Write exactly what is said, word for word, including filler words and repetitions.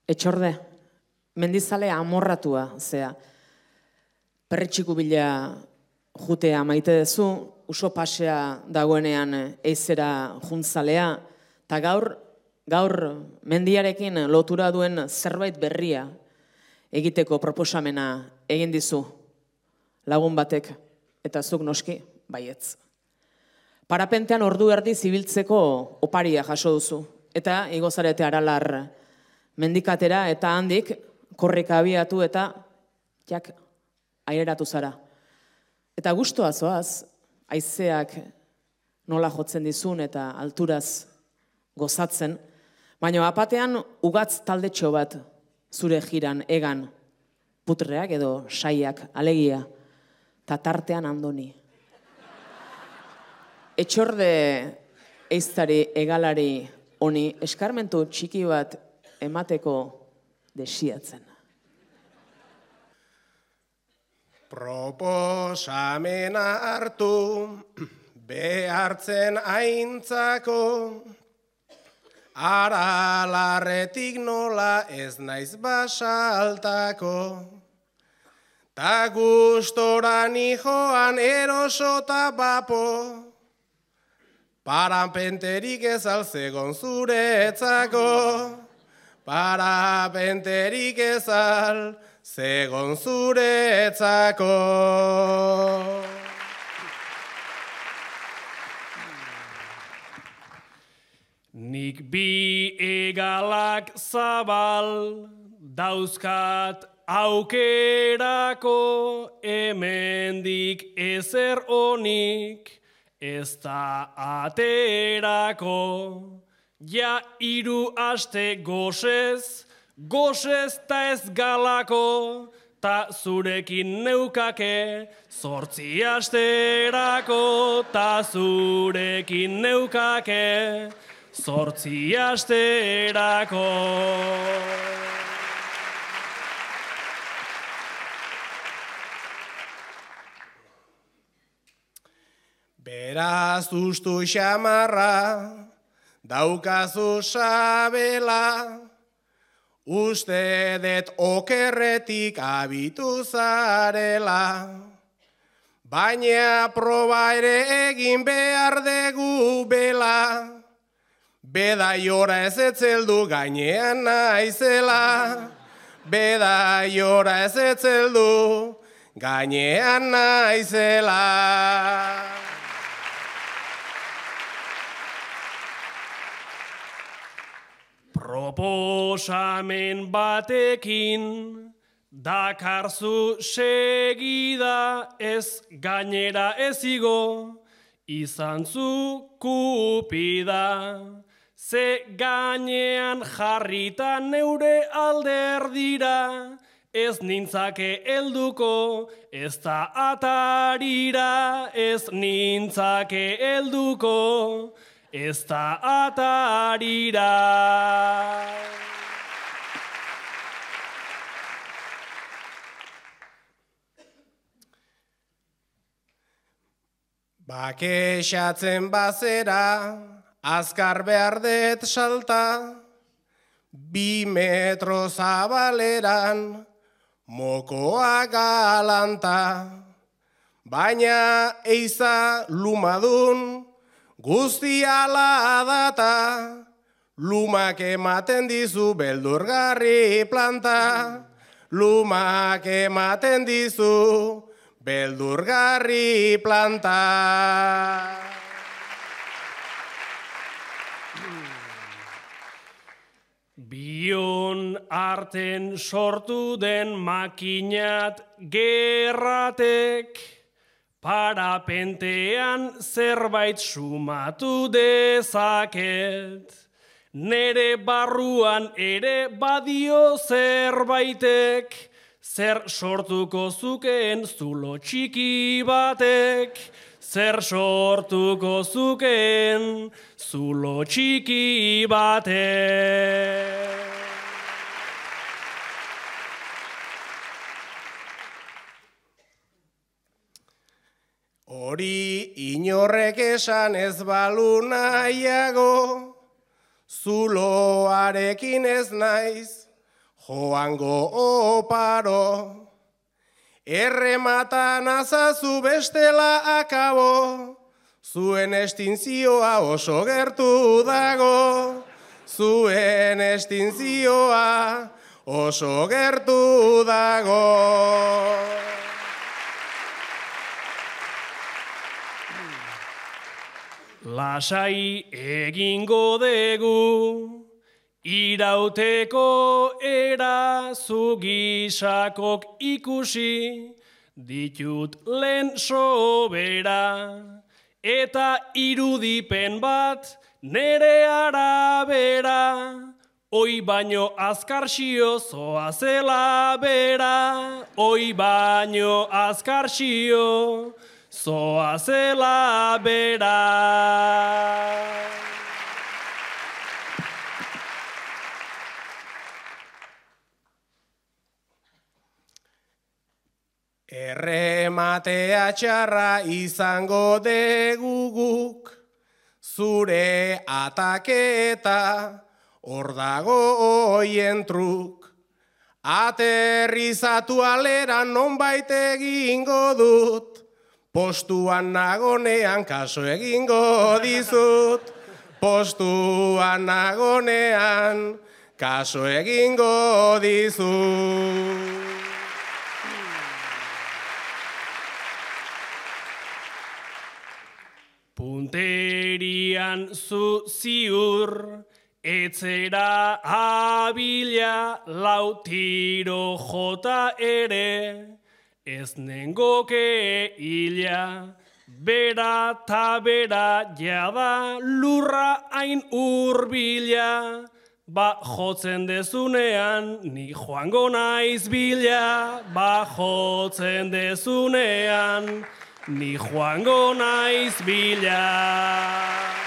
Etxorde, mendizale amorratua, zea. Perretxiku bila jutea maite dezu, uso pasea dagoenean eizera juntzalea, eta gaur, gaur mendiarekin lotura duen zerbait berria egiteko proposamena egin dizu lagun batek, eta zuk noski, baietz. Parapentean ordu erdi zibiltzeko oparia jaso duzu, eta igozarete aralar mendikatera, eta handik korrika abiatu eta jak aireratu zara. Eta gustoa zoaz, haizeak nola jotzen dizun eta alturaz gozatzen, baina apatean ugatz taldetxo bat zure jiran egan, putreak edo saiak alegia, eta tartean andoni. Etxorde eiztari egalari honi eskarmentu txiki bat emateko desiatzen. Proposamena hartu, behartzen aintzako, aralarretik nola ez naiz basaltako, ta gustoran joan erosota bapo, parapenterik ez alzegon zuretzako, parapenterik ez al zegon zuretzako. Nik bi egalak zabal dauzkat aukerako, hemendik ezer onik ez da aterako. Ja hiru aste gozez, gozez ta ez galako, ta zurekin neukake, zortzi asterako, ta zurekin neukake, zortzi asterako. Beraz ustu xamarra, daukazu sabela, uste det okerretik abitu zarela, baina proba ere egin behar dugu bela, bedaiora ez etzeldu gainean naizela, bedaiora ez etzeldu gainean naizela. Proposamen batekin dakarzu segida, ez gainera ez igo, izan zu kupida. Ze gainean jarrita neure alderdira, ez nintzake helduko, ez da atarira, ez nintzake helduko, ez da atarira. Bakexatzen bazera, azkar behar det salta, bi metro zabaleran, mokoa galanta, baina eiza lumadun, guzti ala data, lumak ematen dizu beldurgarri planta, lumak ematen dizu beldurgarri planta. Bion arten sortu den makinat gerratek, parapentean zerbait sumatu dezaket. Nere barruan ere badio zerbaitek, zer sortuko zukeen zulo txiki batek, zer sortuko zukeen zulo txiki batek. Hori inorrek esan ez balu nahiago, zuloarekin ez naiz, joango oparo, errematan azazu bestela akabo, zuen estinzioa oso gertu dago, zuen estinzioa oso gertu dago. Lasai egingo degu, irauteko era zugisakok ikusi, ditut lehen sobera, eta irudipen bat nere arabera, oi baino azkarxio zoazela bera, oi baino azkarxio zoazela bera. Errematea txarra izango deguguk, zure ataketa hor dago oien truk. Aterrizatu alera nonbait egingo dut, postuan nagonean kaso egingo dizut, postuan nagonean kaso egingo dizut. Punterian zu ziur, etzera abila lau tiro jota ere, ez nengoke hila, bera ta bera jada lurra hain urbila, ba jotzen dezunean ni joango naiz bila, ba jotzen dezunean ni joango naiz bila.